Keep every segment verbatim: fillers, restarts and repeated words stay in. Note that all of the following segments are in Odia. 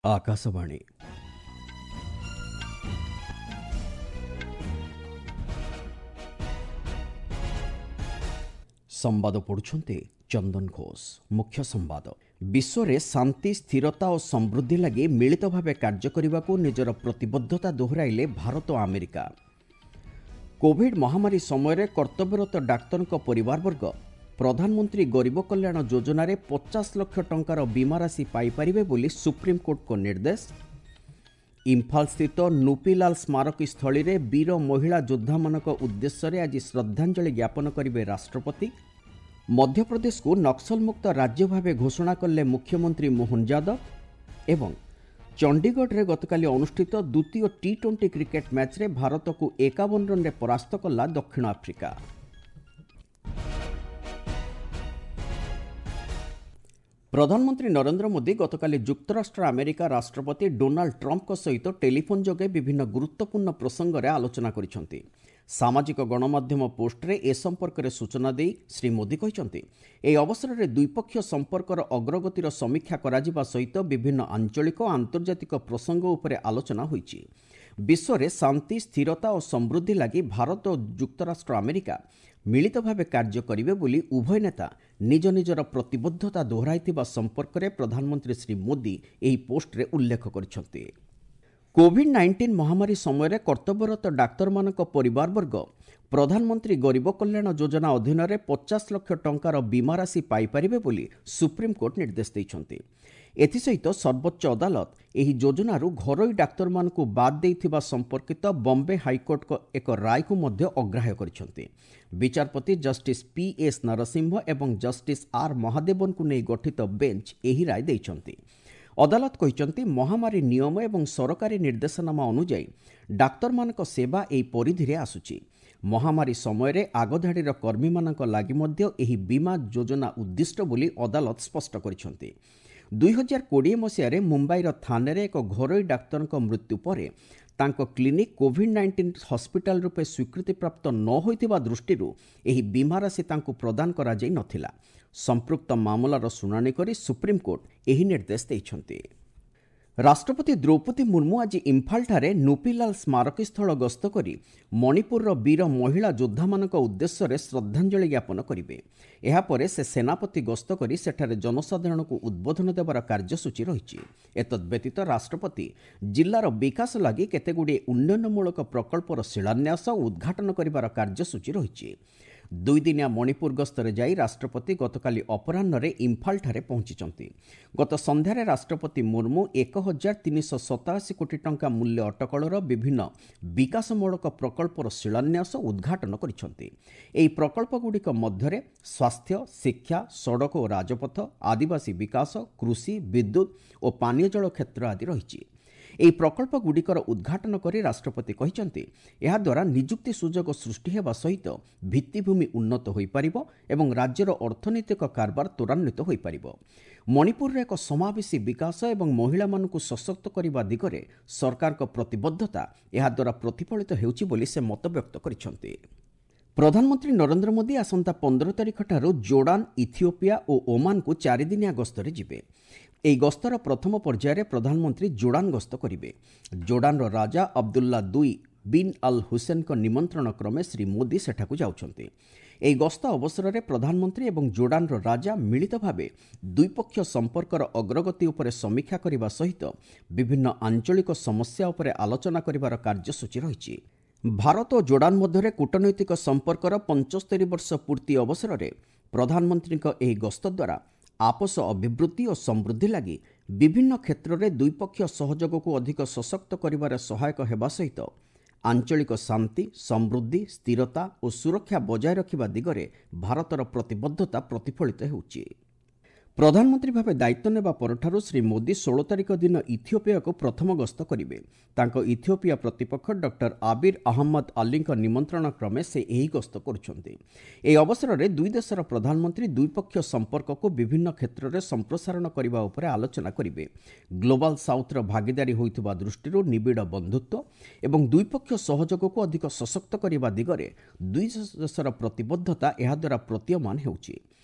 ଆକାଶବାଣୀ। ସମ୍ବାଦ ପଢୁଛନ୍ତି ଚନ୍ଦନ ଘୋଷ। ମୁଖ୍ୟ ସମ୍ବାଦ। ବିଶ୍ୱରେ ଶାନ୍ତି, ସ୍ଥିରତା ଓ ସମୃଦ୍ଧି ଲାଗି ମିଳିତ ଭାବେ କାର୍ଯ୍ୟ କରିବାକୁ ନିଜର ପ୍ରତିବଦ୍ଧତା ଦୋହରାଇଲେ ଭାରତ ଓ ଆମେରିକା। କୋଭିଡ୍ ମହାମାରୀ ସମୟରେ କର୍ତ୍ତବ୍ୟରତ ଡାକ୍ତରଙ୍କ ପରିବାରବର୍ଗ ପ୍ରଧାନମନ୍ତ୍ରୀ ଗରିବ କଲ୍ୟାଣ ଯୋଜନାରେ ପଚାଶ ଲକ୍ଷ ଟଙ୍କାର ବୀମା ରାଶି ପାଇପାରିବେ ବୋଲି ସୁପ୍ରିମକୋର୍ଟଙ୍କ ନିର୍ଦ୍ଦେଶ। ଇମ୍ଫାଲସ୍ଥିତ ନୁପିଲାଲ ସ୍ମାରକୀ ସ୍ଥଳୀରେ ବୀର ମହିଳା ଯୋଦ୍ଧାମାନଙ୍କ ଉଦ୍ଦେଶ୍ୟରେ ଆଜି ଶ୍ରଦ୍ଧାଞ୍ଜଳି ଜ୍ଞାପନ କରିବେ ରାଷ୍ଟ୍ରପତି। ମଧ୍ୟପ୍ରଦେଶକୁ ନକ୍ସଲମୁକ୍ତ ରାଜ୍ୟ ଭାବେ ଘୋଷଣା କଲେ ମୁଖ୍ୟମନ୍ତ୍ରୀ ମୋହନ ଯାଦବ। ଏବଂ ଚଣ୍ଡିଗଡ଼ରେ ଗତକାଲି ଅନୁଷ୍ଠିତ ଦ୍ୱିତୀୟ ଟି ଟ୍ୱେଣ୍ଟି କ୍ରିକେଟ୍ ମ୍ୟାଚ୍ରେ ଭାରତକୁ ଏକାବନ ରନ୍ରେ ପରାସ୍ତ କଲା ଦକ୍ଷିଣ ଆଫ୍ରିକା। ପ୍ରଧାନମନ୍ତ୍ରୀ ନରେନ୍ଦ୍ର ମୋଦି ଗତକାଲି ଯୁକ୍ତରାଷ୍ଟ୍ର ଆମେରିକା ରାଷ୍ଟ୍ରପତି ଡୋନାଲ୍ଡ ଟ୍ରମ୍ପଙ୍କ ସହିତ ଟେଲିଫୋନ୍ ଯୋଗେ ବିଭିନ୍ନ ଗୁରୁତ୍ୱପୂର୍ଣ୍ଣ ପ୍ରସଙ୍ଗରେ ଆଲୋଚନା କରିଛନ୍ତି। ସାମାଜିକ ଗଣମାଧ୍ୟମ ପୋଷ୍ଟରେ ଏ ସମ୍ପର୍କରେ ସୂଚନା ଦେଇ ଶ୍ରୀ ମୋଦି କହିଛନ୍ତି, ଏହି ଅବସରରେ ଦ୍ୱିପକ୍ଷୀୟ ସମ୍ପର୍କର ଅଗ୍ରଗତିର ସମୀକ୍ଷା କରାଯିବା ସହିତ ବିଭିନ୍ନ ଆଞ୍ଚଳିକ ଓ ଆନ୍ତର୍ଜାତିକ ପ୍ରସଙ୍ଗ ଉପରେ ଆଲୋଚନା ହୋଇଛି। ବିଶ୍ୱରେ ଶାନ୍ତି, ସ୍ଥିରତା ଓ ସମୃଦ୍ଧି ଲାଗି ଭାରତ ଓ ଯୁକ୍ତରାଷ୍ଟ୍ର ଆମେରିକା ମିଳିତ ଭାବେ କାର୍ଯ୍ୟ କରିବେ ବୋଲି ଉଭୟ ନେତା ନିଜ ନିଜର ପ୍ରତିବଦ୍ଧତା ଦୋହରାଇଥିବା ସମ୍ପର୍କରେ ପ୍ରଧାନମନ୍ତ୍ରୀ ଶ୍ରୀ ମୋଦି ଏହି ପୋଷ୍ଟରେ ଉଲ୍ଲେଖ କରିଛନ୍ତି। କୋଭିଡ୍ ନାଇଣ୍ଟିନ୍ ମହାମାରୀ ସମୟରେ କର୍ତ୍ତବ୍ୟରତ ଡାକ୍ତରମାନଙ୍କ ପରିବାରବର୍ଗ ପ୍ରଧାନମନ୍ତ୍ରୀ ଗରିବ କଲ୍ୟାଣ ଯୋଜନା ଅଧୀନରେ ପଚାଶ ଲକ୍ଷ ଟଙ୍କାର ବୀମା ରାଶି ପାଇପାରିବେ ବୋଲି ସୁପ୍ରିମକୋର୍ଟ ନିର୍ଦ୍ଦେଶ ଦେଇଛନ୍ତି। ଏଥିସହିତ ସର୍ବୋଚ୍ଚ ଅଦାଲତ ଏହି ଯୋଜନାରୁ ଘରୋଇ ଡାକ୍ତରମାନଙ୍କୁ ବାଦ୍ ଦେଇଥିବା ସମ୍ପର୍କିତ ବମ୍ବେ ହାଇକୋର୍ଟଙ୍କ ଏକ ରାୟକୁ ମଧ୍ୟ ଅଗ୍ରାହ୍ୟ କରିଛନ୍ତି। ବିଚାରପତି ଜଷ୍ଟିସ୍ ପି ଏସ୍ ନରସିଂହ ଏବଂ ଜଷ୍ଟିସ୍ ଆର୍ ମହାଦେବନଙ୍କୁ ନେଇ ଗଠିତ ବେଞ୍ଚ ଏହି ରାୟ ଦେଇଛନ୍ତି। ଅଦାଲତ କହିଛନ୍ତି, ମହାମାରୀ ନିୟମ ଏବଂ ସରକାରୀ ନିର୍ଦ୍ଦେଶନାମା ଅନୁଯାୟୀ ଡାକ୍ତରମାନଙ୍କ ସେବା ଏହି ପରିଧିରେ ଆସୁଛି। ମହାମାରୀ ସମୟରେ ଆଗଧାଡ଼ିର କର୍ମୀମାନଙ୍କ ଲାଗି ମଧ୍ୟ ଏହି ବୀମା ଯୋଜନା ଉଦ୍ଦିଷ୍ଟ ବୋଲି ଅଦାଲତ ସ୍ପଷ୍ଟ କରିଛନ୍ତି। ଦୁଇ ହଜାର କୋଡ଼ିଏ ମସିହାରେ ମୁମ୍ବାଇର ଥାନେରେ ଏକ ଘରୋଇ ଡାକ୍ତରଙ୍କ ମୃତ୍ୟୁ ପରେ ତାଙ୍କ କ୍ଲିନିକ୍ କୋଭିଡ୍ ନାଇଣ୍ଟିନ୍ ହସ୍ପିଟାଲ ରୂପେ ସ୍ୱୀକୃତିପ୍ରାପ୍ତ ନ ହୋଇଥିବା ଦୃଷ୍ଟିରୁ ଏହି ବୀମା ରାଶି ତାଙ୍କୁ ପ୍ରଦାନ କରାଯାଇ ନଥିଲା। ସମ୍ପୃକ୍ତ ମାମଲାର ଶୁଣାଣି କରି ସୁପ୍ରିମକୋର୍ଟ ଏହି ନିର୍ଦ୍ଦେଶ ଦେଇଛନ୍ତି। ରାଷ୍ଟ୍ରପତି ଦ୍ରୌପଦୀ ମୁର୍ମୁ ଆଜି ଇମ୍ଫାଲଠାରେ ନୁପିଲାଲ ସ୍ମାରକୀସ୍ଥଳ ଗସ୍ତ କରି ମଣିପୁରର ବୀର ମହିଳା ଯୋଦ୍ଧାମାନଙ୍କ ଉଦ୍ଦେଶ୍ୟରେ ଶ୍ରଦ୍ଧାଞ୍ଜଳି ଜ୍ଞାପନ କରିବେ। ଏହାପରେ ସେ ସେନାପତି ଗସ୍ତ କରି ସେଠାରେ ଜନସାଧାରଣଙ୍କୁ ଉଦ୍ବୋଧନ ଦେବାର କାର୍ଯ୍ୟସୂଚୀ ରହିଛି। ଏତଦ୍ବ୍ୟତୀତ ରାଷ୍ଟ୍ରପତି ଜିଲ୍ଲାର ବିକାଶ ଲାଗି କେତେଗୁଡ଼ିଏ ଉନ୍ନୟନମୂଳକ ପ୍ରକଳ୍ପର ଶିଳାନ୍ୟାସ ଓ ଉଦ୍ଘାଟନ କରିବାର କାର୍ଯ୍ୟସୂଚୀ ରହିଛି। ଦୁଇଦିନିଆ ମଣିପୁର ଗସ୍ତରେ ଯାଇ ରାଷ୍ଟ୍ରପତି ଗତକାଲି ଅପରାହ୍ନରେ ଇମ୍ଫାଲଠାରେ ପହଞ୍ଚିଛନ୍ତି। ଗତ ସନ୍ଧ୍ୟାରେ ରାଷ୍ଟ୍ରପତି ମୁର୍ମୁ ଏକ ହଜାର ତିନିଶହ ସତାଅଶୀ କୋଟି ଟଙ୍କା ମୂଲ୍ୟ ଅଟକଳର ବିଭିନ୍ନ ବିକାଶମୂଳକ ପ୍ରକଳ୍ପର ଶିଳାନ୍ୟାସ ଓ ଉଦ୍ଘାଟନ କରିଛନ୍ତି। ଏହି ପ୍ରକଳ୍ପଗୁଡ଼ିକ ମଧ୍ୟରେ ସ୍ୱାସ୍ଥ୍ୟ, ଶିକ୍ଷା, ସଡ଼କ ଓ ରାଜପଥ, ଆଦିବାସୀ ବିକାଶ, କୃଷି, ବିଦ୍ୟୁତ୍ ଓ ପାନୀୟ ଜଳ କ୍ଷେତ୍ର ଆଦି ରହିଛି। ଏହି ପ୍ରକଳ୍ପଗୁଡ଼ିକର ଉଦ୍ଘାଟନ କରି ରାଷ୍ଟ୍ରପତି କହିଛନ୍ତି, ଏହାଦ୍ୱାରା ନିଯୁକ୍ତି ସୁଯୋଗ ସୃଷ୍ଟି ହେବା ସହିତ ଭିତ୍ତିଭୂମି ଉନ୍ନତ ହୋଇପାରିବ ଏବଂ ରାଜ୍ୟର ଅର୍ଥନୈତିକ କାରବାର ତ୍ୱରାନ୍ୱିତ ହୋଇପାରିବ। ମଣିପୁରରେ ଏକ ସମାବେଶୀ ବିକାଶ ଏବଂ ମହିଳାମାନଙ୍କୁ ସଶକ୍ତ କରିବା ଦିଗରେ ସରକାରଙ୍କ ପ୍ରତିବଦ୍ଧତା ଏହାଦ୍ୱାରା ପ୍ରତିଫଳିତ ହେଉଛି ବୋଲି ସେ ମତବ୍ୟକ୍ତ କରିଛନ୍ତି। ପ୍ରଧାନମନ୍ତ୍ରୀ ନରେନ୍ଦ୍ର ମୋଦି ଆସନ୍ତା ପନ୍ଦର ତାରିଖଠାରୁ ଜୋର୍ଡାନ, ଇଥିଓପିଆ ଓ ଓମାନକୁ ଚାରିଦିନିଆ ଗସ୍ତରେ ଯିବେ। ଏହି ଗସ୍ତର ପ୍ରଥମ ପର୍ଯ୍ୟାୟରେ ପ୍ରଧାନମନ୍ତ୍ରୀ ଜୋର୍ଡାନ ଗସ୍ତ କରିବେ। ଜୋର୍ଡାନର ରାଜା ଅବଦୁଲ୍ଲା ଦୁଇ ବିନ୍ ଅଲ୍ ହୁସେନଙ୍କ ନିମନ୍ତ୍ରଣ କ୍ରମେ ଶ୍ରୀ ମୋଦି ସେଠାକୁ ଯାଉଛନ୍ତି। ଏହି ଗସ୍ତ ଅବସରରେ ପ୍ରଧାନମନ୍ତ୍ରୀ ଏବଂ ଜୋର୍ଡାନର ରାଜା ମିଳିତ ଭାବେ ଦ୍ୱିପକ୍ଷୀୟ ସମ୍ପର୍କର ଅଗ୍ରଗତି ଉପରେ ସମୀକ୍ଷା କରିବା ସହିତ ବିଭିନ୍ନ ଆଞ୍ଚଳିକ ସମସ୍ୟା ଉପରେ ଆଲୋଚନା କରିବାର କାର୍ଯ୍ୟସୂଚୀ ରହିଛି। ଭାରତ ଓ ଜୋର୍ଡାନ ମଧ୍ୟରେ କୂଟନୈତିକ ସମ୍ପର୍କର ପଞ୍ଚସ୍ତରୀ ବର୍ଷ ପୂର୍ତ୍ତି ଅବସରରେ ପ୍ରଧାନମନ୍ତ୍ରୀଙ୍କ ଏହି ଗସ୍ତ ଦ୍ୱାରା ଆପୋଷ ଅଭିବୃଦ୍ଧି ଓ ସମୃଦ୍ଧି ଲାଗି ବିଭିନ୍ନ କ୍ଷେତ୍ରରେ ଦ୍ୱିପକ୍ଷୀୟ ସହଯୋଗକୁ ଅଧିକ ସଶକ୍ତ କରିବାରେ ସହାୟକ ହେବା ସହିତ ଆଞ୍ଚଳିକ ଶାନ୍ତି, ସମୃଦ୍ଧି, ସ୍ଥିରତା ଓ ସୁରକ୍ଷା ବଜାୟ ରଖିବା ଦିଗରେ ଭାରତର ପ୍ରତିବଦ୍ଧତା ପ୍ରତିଫଳିତ ହେଉଛି। ପ୍ରଧାନମନ୍ତ୍ରୀ ଭାବେ ଦାୟିତ୍ୱ ନେବା ପରଠାରୁ ଶ୍ରୀ ମୋଦି ଷୋହଳ ତାରିଖ ଦିନ ଇଥିଓପିଆକୁ ପ୍ରଥମ ଗସ୍ତ କରିବେ। ତାଙ୍କ ଇଥିଓପିଆ ପ୍ରତିପକ୍ଷ ଡକ୍ଟର ଆବିର ଅହମ୍ମଦ ଅଲିଙ୍କ ନିମନ୍ତ୍ରଣ କ୍ରମେ ସେ ଏହି ଗସ୍ତ କରୁଛନ୍ତି। ଏହି ଅବସରରେ ଦୁଇ ଦେଶର ପ୍ରଧାନମନ୍ତ୍ରୀ ଦ୍ୱିପକ୍ଷୀୟ ସମ୍ପର୍କକୁ ବିଭିନ୍ନ କ୍ଷେତ୍ରରେ ସମ୍ପ୍ରସାରଣ କରିବା ଉପରେ ଆଲୋଚନା କରିବେ। ଗ୍ଲୋବାଲ ସାଉଥ୍ର ଭାଗିଦାରୀ ହୋଇଥିବା ଦୃଷ୍ଟିରୁ ନିବିଡ଼ ବନ୍ଧୁତ୍ୱ ଏବଂ ଦ୍ୱିପକ୍ଷୀୟ ସହଯୋଗକୁ ଅଧିକ ସଶକ୍ତ କରିବା ଦିଗରେ ଦୁଇ ଦେଶର ପ୍ରତିବଦ୍ଧତା ଏହାଦ୍ୱାରା ପ୍ରତୀୟମାନ ହେଉଛି।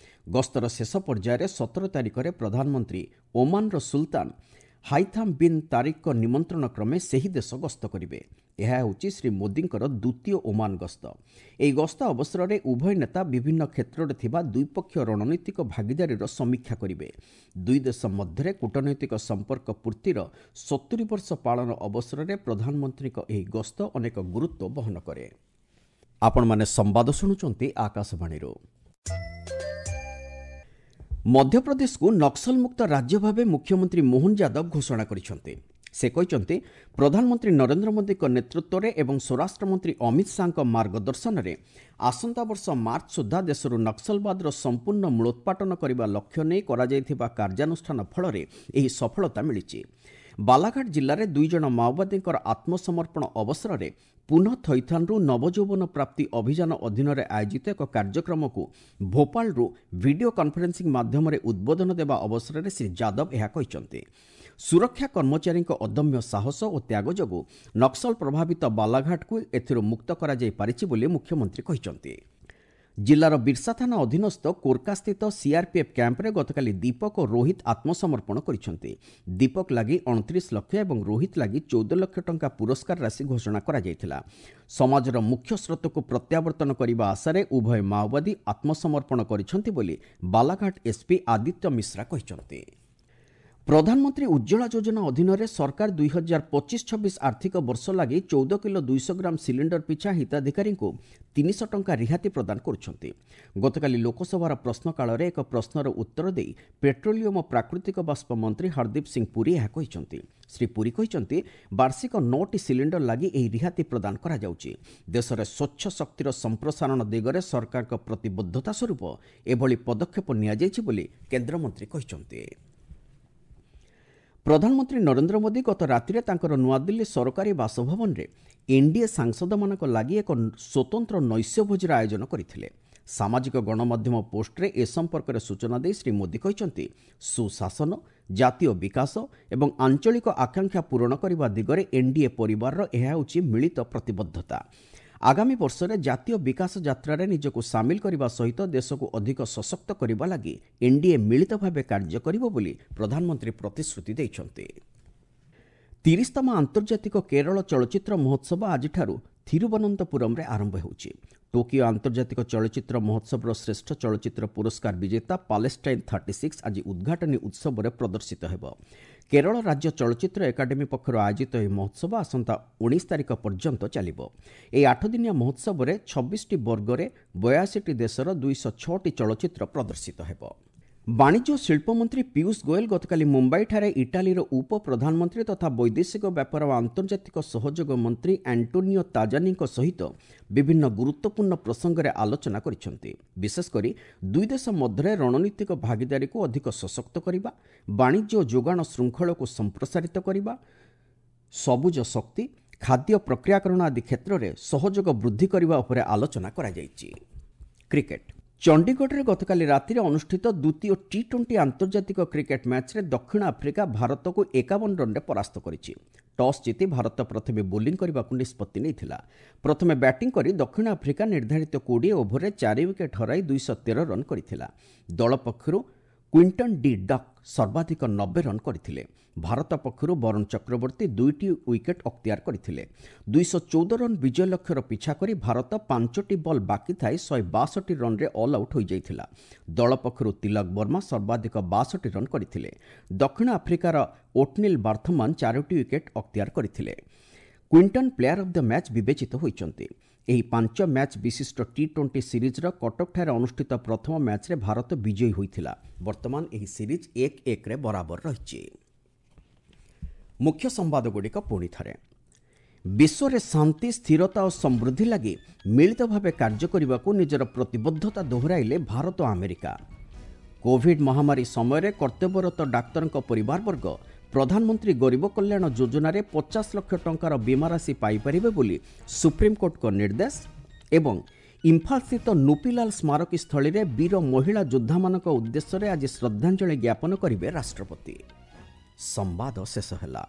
ଗସ୍ତର ଶେଷ ପର୍ଯ୍ୟାୟରେ ସତର ତାରିଖରେ ପ୍ରଧାନମନ୍ତ୍ରୀ ଓମାନର ସୁଲତାନ ହାଇଥାମ୍ ବିନ୍ ତାରିକ୍ଙ୍କ ନିମନ୍ତ୍ରଣ କ୍ରମେ ସେହି ଦେଶ ଗସ୍ତ କରିବେ। ଏହା ହେଉଛି ଶ୍ରୀ ମୋଦିଙ୍କର ଦ୍ୱିତୀୟ ଓମାନ ଗସ୍ତ। ଏହି ଗସ୍ତ ଅବସରରେ ଉଭୟ ନେତା ବିଭିନ୍ନ କ୍ଷେତ୍ରରେ ଥିବା ଦ୍ୱିପକ୍ଷୀୟ ରଣନୈତିକ ଭାଗିଦାରୀର ସମୀକ୍ଷା କରିବେ। ଦୁଇ ଦେଶ ମଧ୍ୟରେ କୂଟନୈତିକ ସମ୍ପର୍କ ପୂର୍ତ୍ତିର ସତୁରି ବର୍ଷ ପାଳନ ଅବସରରେ ପ୍ରଧାନମନ୍ତ୍ରୀଙ୍କ ଏହି ଗସ୍ତ ଅନେକ ଗୁରୁତ୍ୱ ବହନ କରେ। ଆପଣମାନେ ସମ୍ବାଦ ଶୁଣୁଛନ୍ତି ଆକାଶବାଣୀରୁ। ମଧ୍ୟପ୍ରଦେଶକୁ ନକ୍ସଲମୁକ୍ତ ରାଜ୍ୟ ଭାବେ ମୁଖ୍ୟମନ୍ତ୍ରୀ ମୋହନ ଯାଦବ ଘୋଷଣା କରିଛନ୍ତି। ସେ କହିଛନ୍ତି, ପ୍ରଧାନମନ୍ତ୍ରୀ ନରେନ୍ଦ୍ର ମୋଦିଙ୍କ ନେତୃତ୍ୱରେ ଏବଂ ସ୍ୱରାଷ୍ଟ୍ରମନ୍ତ୍ରୀ ଅମିତ ଶାହାଙ୍କ ମାର୍ଗଦର୍ଶନରେ ଆସନ୍ତା ବର୍ଷ ମାର୍ଚ୍ଚ ସୁଦ୍ଧା ଦେଶରୁ ନକ୍ସଲବାଦର ସମ୍ପୂର୍ଣ୍ଣ ମୂଳୋତ୍ପାଟନ କରିବା ଲକ୍ଷ୍ୟ ନେଇ କରାଯାଇଥିବା କାର୍ଯ୍ୟାନୁଷ୍ଠାନ ଫଳରେ ଏହି ସଫଳତା ମିଳିଛି। ବାଲାଘାଟ ଜିଲ୍ଲାରେ ଦୁଇ ଜଣ ମାଓବାଦୀଙ୍କର ଆତ୍ମସମର୍ପଣ ଅବସରରେ ପୁନଃ ଥଇଥାନରୁ ନବଯୌବନ ପ୍ରାପ୍ତି ଅଭିଯାନ ଅଧୀନରେ ଆୟୋଜିତ ଏକ କାର୍ଯ୍ୟକ୍ରମକୁ ଭୋପାଳରୁ ଭିଡିଓ କନଫରେନ୍ସିଂ ମାଧ୍ୟମରେ ଉଦ୍ବୋଧନ ଦେବା ଅବସରରେ ଶ୍ରୀ ଯାଦବ ଏହା କହିଛନ୍ତି। ସୁରକ୍ଷା କର୍ମଚାରୀଙ୍କ ଅଦମ୍ୟ ସାହସ ଓ ତ୍ୟାଗ ଯୋଗୁଁ ନକ୍ସଲ ପ୍ରଭାବିତ ବାଲାଘାଟକୁ ଏଥିରୁ ମୁକ୍ତ କରାଯାଇପାରିଛି ବୋଲି ମୁଖ୍ୟମନ୍ତ୍ରୀ କହିଛନ୍ତି। ଜିଲ୍ଲାର ବିର୍ସା ଥାନା ଅଧୀନସ୍ଥ କୋର୍କାସ୍ଥିତ ସିଆର୍ପିଏଫ୍ କ୍ୟାମ୍ପରେ ଗତକାଲି ଦୀପକ ଓ ରୋହିତ ଆତ୍ମସମର୍ପଣ କରିଛନ୍ତି। ଦୀପକ ଲାଗି ଅଣତିରିଶ ଲକ୍ଷ ଏବଂ ରୋହିତ ଲାଗି ଚଉଦ ଲକ୍ଷ ଟଙ୍କା ପୁରସ୍କାର ରାଶି ଘୋଷଣା କରାଯାଇଥିଲା। ସମାଜର ମୁଖ୍ୟ ସ୍ରୋତକୁ ପ୍ରତ୍ୟାବର୍ତ୍ତନ କରିବା ଆଶାରେ ଉଭୟ ମାଓବାଦୀ ଆତ୍ମସମର୍ପଣ କରିଛନ୍ତି ବୋଲି ବାଲାଘାଟ ଏସ୍ପି ଆଦିତ୍ୟ ମିଶ୍ରା କହିଛନ୍ତି। ପ୍ରଧାନମନ୍ତ୍ରୀ ଉଜ୍ଜ୍ୱଳା ଯୋଜନା ଅଧୀନରେ ସରକାର ଦୁଇ ହଜାର ପଚିଶ ଛବିଶ ଆର୍ଥିକ ବର୍ଷ ଲାଗି ଚଉଦ କିଲୋ ଦୁଇଶହ ଗ୍ରାମ ସିଲିଣ୍ଡର ପିଛା ହିତାଧିକାରୀଙ୍କୁ ତିନିଶହ ଟଙ୍କା ରିହାତି ପ୍ରଦାନ କରୁଛନ୍ତି। ଗତକାଲି ଲୋକସଭାର ପ୍ରଶ୍ନକାଳରେ ଏକ ପ୍ରଶ୍ନର ଉତ୍ତର ଦେଇ ପେଟ୍ରୋଲିୟମ ଓ ପ୍ରାକୃତିକ ବାଷ୍ପ ମନ୍ତ୍ରୀ ହରଦୀପ ସିଂ ପୁରୀ ଏହା କହିଛନ୍ତି। ଶ୍ରୀ ପୁରୀ କହିଛନ୍ତି, ବାର୍ଷିକ ନଅଟି ସିଲିଣ୍ଡର ଲାଗି ଏହି ରିହାତି ପ୍ରଦାନ କରାଯାଉଛି। ଦେଶରେ ସ୍ୱଚ୍ଛ ଶକ୍ତିର ସମ୍ପ୍ରସାରଣ ଦିଗରେ ସରକାରଙ୍କ ପ୍ରତିବଦ୍ଧତା ସ୍ୱରୂପ ଏଭଳି ପଦକ୍ଷେପ ନିଆଯାଇଛି ବୋଲି କେନ୍ଦ୍ରମନ୍ତ୍ରୀ କହିଛନ୍ତି। ପ୍ରଧାନମନ୍ତ୍ରୀ ନରେନ୍ଦ୍ର ମୋଦି ଗତ ରାତିରେ ତାଙ୍କର ନୂଆଦିଲ୍ଲୀ ସରକାରୀ ବାସଭବନରେ ଏନ୍ଡିଏ ସାଂସଦମାନଙ୍କ ଲାଗି ଏକ ସ୍ୱତନ୍ତ୍ର ନୈଶ୍ୟ ଭୋଜିର ଆୟୋଜନ କରିଥିଲେ। ସାମାଜିକ ଗଣମାଧ୍ୟମ ପୋଷ୍ଟରେ ଏ ସମ୍ପର୍କରେ ସୂଚନା ଦେଇ ଶ୍ରୀ ମୋଦି କହିଛନ୍ତି, ସୁଶାସନ, ଜାତୀୟ ବିକାଶ ଏବଂ ଆଞ୍ଚଳିକ ଆକାଂକ୍ଷା ପୂରଣ କରିବା ଦିଗରେ ଏନ୍ଡିଏ ପରିବାରର ଏହା ହେଉଛି ମିଳିତ ପ୍ରତିବଦ୍ଧତା। ଆଗାମୀ ବର୍ଷରେ ଜାତୀୟ ବିକାଶ ଯାତ୍ରାରେ ନିଜକୁ ସାମିଲ କରିବା ସହିତ ଦେଶକୁ ଅଧିକ ସଶକ୍ତ କରିବା ଲାଗି ଏନ୍ଡିଏ ମିଳିତ ଭାବେ କାର୍ଯ୍ୟ କରିବ ବୋଲି ପ୍ରଧାନମନ୍ତ୍ରୀ ପ୍ରତିଶ୍ରୁତି ଦେଇଛନ୍ତି। ତିରିଶତମ ଆନ୍ତର୍ଜାତିକ କେରଳ ଚଳଚ୍ଚିତ୍ର ମହୋତ୍ସବ ଆଜିଠାରୁ ଥିରୁବନନ୍ତପୁରମରେ ଆରମ୍ଭ ହେଉଛି। ଟୋକିଓ ଆନ୍ତର୍ଜାତିକ ଚଳଚ୍ଚିତ୍ର ମହୋତ୍ସବର ଶ୍ରେଷ୍ଠ ଚଳଚ୍ଚିତ୍ର ପୁରସ୍କାର ବିଜେତା ପାଲେଷ୍ଟାଇନ୍ ଥାର୍ଟି ସିକ୍ସ ଆଜି ଉଦ୍ଘାଟନୀ ଉତ୍ସବରେ ପ୍ରଦର୍ଶିତ ହେବ। କେରଳ ରାଜ୍ୟ ଚଳଚ୍ଚିତ୍ର ଏକାଡେମୀ ପକ୍ଷରୁ ଆୟୋଜିତ ଏହି ମହୋତ୍ସବ ଆସନ୍ତା ଉଣେଇଶ ତାରିଖ ପର୍ଯ୍ୟନ୍ତ ଚାଲିବ। ଏହି ଆଠଦିନିଆ ମହୋତ୍ସବରେ ଛବିଶଟି ବର୍ଗରେ ବୟାଅଶୀଟି ଦେଶର ଦୁଇଶହ ଛଅଟି ଚଳଚ୍ଚିତ୍ର ପ୍ରଦର୍ଶିତ ହେବ। ବାଣିଜ୍ୟ ଓ ଶିଳ୍ପମନ୍ତ୍ରୀ ପୀୟୁଷ ଗୋଏଲ ଗତକାଲି ମୁମ୍ବାଇଠାରେ ଇଟାଲୀର ଉପ ପ୍ରଧାନମନ୍ତ୍ରୀ ତଥା ବୈଦେଶିକ ବ୍ୟାପାର ଓ ଆନ୍ତର୍ଜାତିକ ସହଯୋଗ ମନ୍ତ୍ରୀ ଆଣ୍ଟୋନିଓ ତାଜାନିଙ୍କ ସହିତ ବିଭିନ୍ନ ଗୁରୁତ୍ୱପୂର୍ଣ୍ଣ ପ୍ରସଙ୍ଗରେ ଆଲୋଚନା କରିଛନ୍ତି। ବିଶେଷକରି ଦୁଇ ଦେଶ ମଧ୍ୟରେ ରଣନୀତିକ ଭାଗିଦାରୀକୁ ଅଧିକ ସଶକ୍ତ କରିବା, ବାଣିଜ୍ୟ ଓ ଯୋଗାଣ ଶୃଙ୍ଖଳକୁ ସମ୍ପ୍ରସାରିତ କରିବା, ସବୁଜ ଶକ୍ତି, ଖାଦ୍ୟ ପ୍ରକ୍ରିୟାକରଣ ଆଦି କ୍ଷେତ୍ରରେ ସହଯୋଗ ବୃଦ୍ଧି କରିବା ଉପରେ ଆଲୋଚନା କରାଯାଇଛି। କ୍ରିକେଟ। ଚଣ୍ଡିଗଡ଼ରେ ଗତକାଲି ରାତିରେ ଅନୁଷ୍ଠିତ ଦ୍ୱିତୀୟ ଟି ଟ୍ୱେଣ୍ଟି ଆନ୍ତର୍ଜାତିକ କ୍ରିକେଟ ମ୍ୟାଚ୍ରେ ଦକ୍ଷିଣ ଆଫ୍ରିକା ଭାରତକୁ ଏକାବନ ରନ୍ରେ ପରାସ୍ତ କରିଛି। ଟସ୍ ଜିତି ଭାରତ ପ୍ରଥମେ ବୋଲିଂ କରିବାକୁ ନିଷ୍ପତ୍ତି ନେଇଥିଲା। ପ୍ରଥମେ ବ୍ୟାଟିଂ କରି ଦକ୍ଷିଣ ଆଫ୍ରିକା ନିର୍ଦ୍ଧାରିତ କୋଡ଼ିଏ ଓଭରରେ ଚାରି ୱିକେଟ୍ ହରାଇ ଦୁଇଶହ ତେର ରନ୍ କରିଥିଲା। ଦଳ ପକ୍ଷରୁ କ୍ୱିଣ୍ଟନ୍ ଡି ଡକ୍ ସର୍ବାଧିକ ନବେ ରନ୍ କରିଥିଲେ। ଭାରତ ପକ୍ଷରୁ ବରୁଣ ଚକ୍ରବର୍ତ୍ତୀ ଦୁଇଟି ୱିକେଟ୍ ଅକ୍ତିଆର କରିଥିଲେ। ଦୁଇଶହ ଚଉଦ ରନ୍ ବିଜୟ ଲକ୍ଷ୍ୟର ପିଛା କରି ଭାରତ ପାଞ୍ଚଟି ବଲ୍ ବାକି ଥାଇ ଶହେ ବାଷଠି ରନ୍ରେ ଅଲ୍ ଆଉଟ୍ ହୋଇଯାଇଥିଲା। ଦଳ ପକ୍ଷରୁ ତିଲକ ବର୍ମା ସର୍ବାଧିକ ବାଷଠି ରନ୍ କରିଥିଲେ। ଦକ୍ଷିଣ ଆଫ୍ରିକାର ଓଟନିଲ୍ ବାର୍ଥମାନ ଚାରୋଟି ୱିକେଟ୍ ଅକ୍ତିଆର କରିଥିଲେ। Quinton player of the match ବିବେଚିତ ହୋଇଛନ୍ତି। ଏହି ପାଞ୍ଚ ମ୍ୟାଚ୍ ବିଶିଷ୍ଟ ଟି ଟ୍ୱେଣ୍ଟି ସିରିଜ୍ର କଟକଠାରେ ଅନୁଷ୍ଠିତ ପ୍ରଥମ ମ୍ୟାଚ୍ରେ ଭାରତ ବିଜୟୀ ହୋଇଥିଲା। ବର୍ତ୍ତମାନ ଏହି ସିରିଜ୍ ଏକ ଏକରେ ବରାବର ରହିଛି। ମୁଖ୍ୟ ସମ୍ବାଦଗୁଡ଼ିକ ପୁଣି ଥରେ। ବିଶ୍ୱରେ ଶାନ୍ତି, ସ୍ଥିରତା ଓ ସମୃଦ୍ଧି ଲାଗି ମିଳିତ ଭାବେ କାର୍ଯ୍ୟ କରିବାକୁ ନିଜର ପ୍ରତିବଦ୍ଧତା ଦୋହରାଇଲେ ଭାରତ ଓ ଆମେରିକା। କୋଭିଡ୍ ମହାମାରୀ ସମୟରେ କର୍ତ୍ତବ୍ୟରତ ଡାକ୍ତରଙ୍କ ପରିବାରବର୍ଗ ପ୍ରଧାନମନ୍ତ୍ରୀ ଗରିବ କଲ୍ୟାଣ ଯୋଜନାରେ ପଚାଶ ଲକ୍ଷ ଟଙ୍କାର ବୀମା ରାଶି ପାଇପାରିବେ ବୋଲି ସୁପ୍ରିମକୋର୍ଟଙ୍କ ନିର୍ଦ୍ଦେଶ। ଏବଂ ଇମ୍ଫାଲସ୍ଥିତ ନୁପିଲାଲ ସ୍ମାରକୀ ସ୍ଥଳୀରେ ବୀର ମହିଳା ଯୋଦ୍ଧାମାନଙ୍କ ଉଦ୍ଦେଶ୍ୟରେ ଆଜି ଶ୍ରଦ୍ଧାଞ୍ଜଳି ଜ୍ଞାପନ କରିବେ ରାଷ୍ଟ୍ରପତି। ସମ୍ବାଦ ଶେଷ ହେଲା।